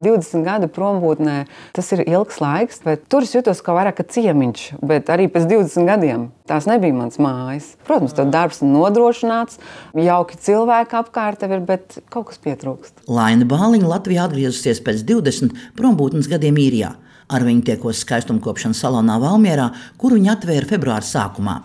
20 gadu prombūtnē, tas ir ilgs laiks, bet tur es jutos kā vairāk ciemiņš, bet arī pēc 20 gadiem tās nebija mans mājas. Protams, tev darbs nodrošināts, jauki cilvēki apkārt tev ir, bet kaut kas pietrūkst. Laina Bāliņa Latvijā atgriezusies pēc 20 prombūtnes gadiem īrijā. Ar viņu tiekos skaistumkopšanas salonā Valmierā, kuru viņa atvēra februāra sākumā.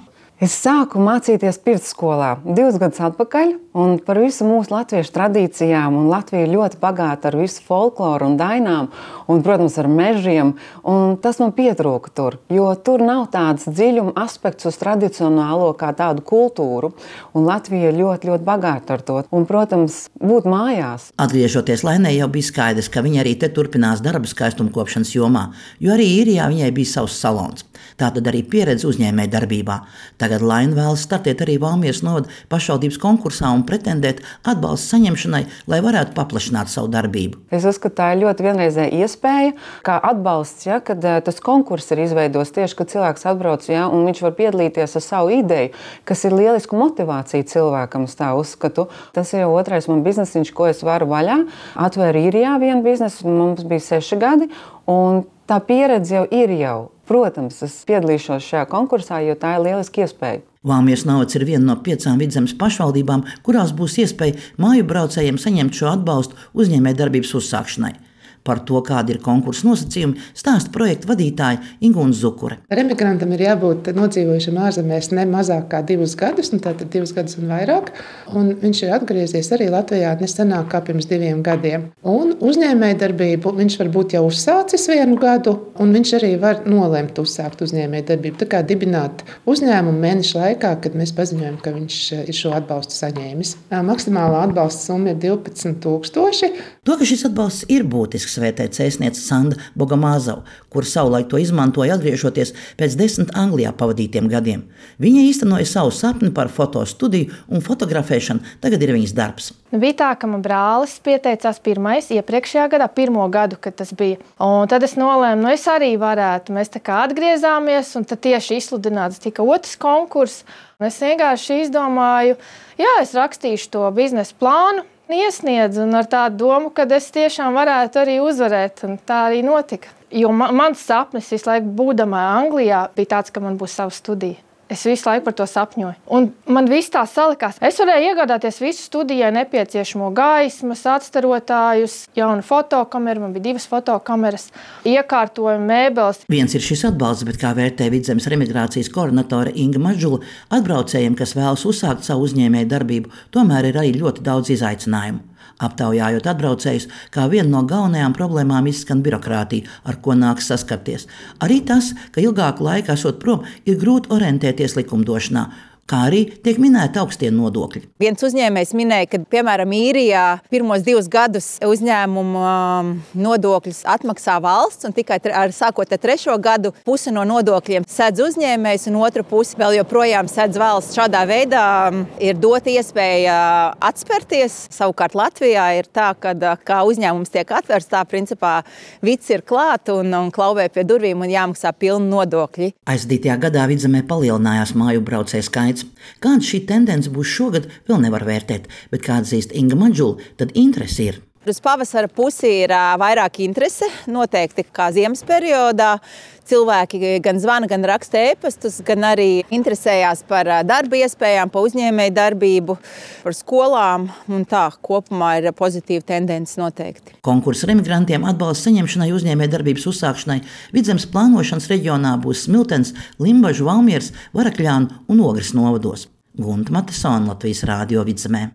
Es sāku mācīties pirtsskolā 2 gadus atpakaļ, un par visu mūsu latviešu tradīcijām, un Latvija ir ļoti bagāta ar visu folkloru un dainām, un, protams, ar mežiem, un tas man pietrūka tur, jo tur nav tāds dziļuma aspekts uz tradicionālo kā tādu kultūru, un Latvija ir ļoti, ļoti bagāta ar to, un, protams, būt mājās. Atgriežoties Lainai, jau bija skaidrs, ka viņa arī te turpinās darbu skaistumkopšanas jomā, jo arī īrijā viņai bija savs salons. Tātad arī pieredze uzņēmēja darbībā. Tagad Laina vēlas startēt arī Valmieras novada pašvaldības konkursā un pretendēt atbalsta saņemšanai, lai varētu paplašināt savu darbību. Es uzskatu, tā ir ļoti vienreizēja iespēja, kā atbalsts, ja, kad tas konkurss ir izveidos tieši, kad cilvēks atbrauc, ja, un viņš var piedalīties ar savu ideju, kas ir lielisku motivāciju cilvēkam, es tā uzskatu. Tas ir jau otrais man biznesiņš, ko es varu vaļā. Atvēru īrijā vienu biznesu, mums bija 6 gadi, un tā pieredze jau ir jau. Protams, es piedalīšos šajā konkursā, jo tā ir lieliska iespēja. Valmieras novads ir viena no 5 Vidzemes pašvaldībām, kurās būs iespēja māju braucējiem saņemt šo atbalstu uzņēmējdarbības uzsākšanai. Par to, kādi ir konkursa nosacījumi, stāsta projekta vadītāja Ingūna Zukure. Remigrantam ir jābūt nodzīvojušam ārzemēs ne mazāk kā 2 gadus, tātad 2 gadus un vairāk. Un viņš ir atgriezies arī Latvijā nesenāk kā pirms 2 gadiem. Un uzņēmējdarbību viņš var būt jau uzsācis 1 gadu, un viņš arī var nolemt uzsākt uzņēmējdarbību. Tā kā dibināt uzņēmumu mēnešu laikā, kad mēs paziņojam, ka viņš ir šo atbalstu saņēmis. Maksimālā atbalsta summa ir 12 000. To, ka šis atbalsts ir būtisks, vērtē cēsniece Sanda Bogomazova, kur savulaik to izmantoja atgriežoties pēc 10 Anglijā pavadītiem gadiem. Viņa īstenoja savu sapni par fotostudiju un fotografēšanu, tagad ir viņas darbs. Bija tā, ka man brālis pieteicās pirmais iepriekšējā gadā, 1. gadu, kad tas bija. Un tad es nolēmu, es arī varētu. Mēs tā kā atgriezāmies, un tad tieši izsludināts tika 2. konkurss. Un es vienkārši izdomāju, es rakstīšu to biznesa plānu, iesniedzu un ar tādu domu, ka es tiešām varētu arī uzvarēt, un tā arī notika. Jo mans sapnis visu laiku būdamā Anglijā bija tāds, ka man būs sava studija. Es visu laiku par to sapņoju. Un man viss tā salikās. Es varēju iegādāties visu studijai nepieciešamo gaismas, atstarotājus, jaunu fotokameru, man bija 2 fotokameras, iekārtojumu, mēbeles. Viens ir šis atbalsts, bet kā vērtē Vidzemes remigrācijas koordinatore Inga Mažula, atbraucējiem, kas vēlas uzsākt savu uzņēmēju darbību, tomēr ir arī ļoti daudz izaicinājumu. Aptaujājot atbraucējus, kā viena no galvenajām problēmām izskan birokrātija, ar ko nāks saskarties. Arī tas, ka ilgāku laiku esot prom, ir grūti orientēties likumdošanā, kā arī tiek minēti augstie nodokļi. Viens uzņēmējs minēja, ka, piemēram, īrijā pirmos 2 gadus uzņēmuma nodokļus atmaksā valsts, un tikai sākot ar 3. gadu pusi no nodokļiem sedz uzņēmējs, un otru pusi vēl joprojām sedz valsts. Šādā veidā ir dota iespēja atspērties. Savukārt Latvijā ir tā, ka kā uzņēmums tiek atvērts, tā principā vids ir klāt un klauvē pie durvīm un jāmaksā pilni nodokļi. Aizdītajā gadā Vidzemē palielinājās māju braucēju skaits. Kāda šī tendence būs šogad, vēl nevar vērtēt, bet kā atzīst Inga Mažula, tad interese ir. Uz pavasara pusi ir vairāk interese, noteikti kā ziemas periodā. Cilvēki gan zvana, gan raksta ēpastus, gan arī interesējās par darba iespējām, par uzņēmēju darbību, par skolām. Un tā kopumā ir pozitīva tendence noteikti. Konkursa remigrantiem atbalsta saņemšanai uzņēmēju darbības uzsākšanai Vidzemes plānošanas reģionā būs Smiltenes, Limbažu, Valmieras, Varakļānu un Ogres novados. Gunta Matesona, Latvijas Rādio Vidzemē.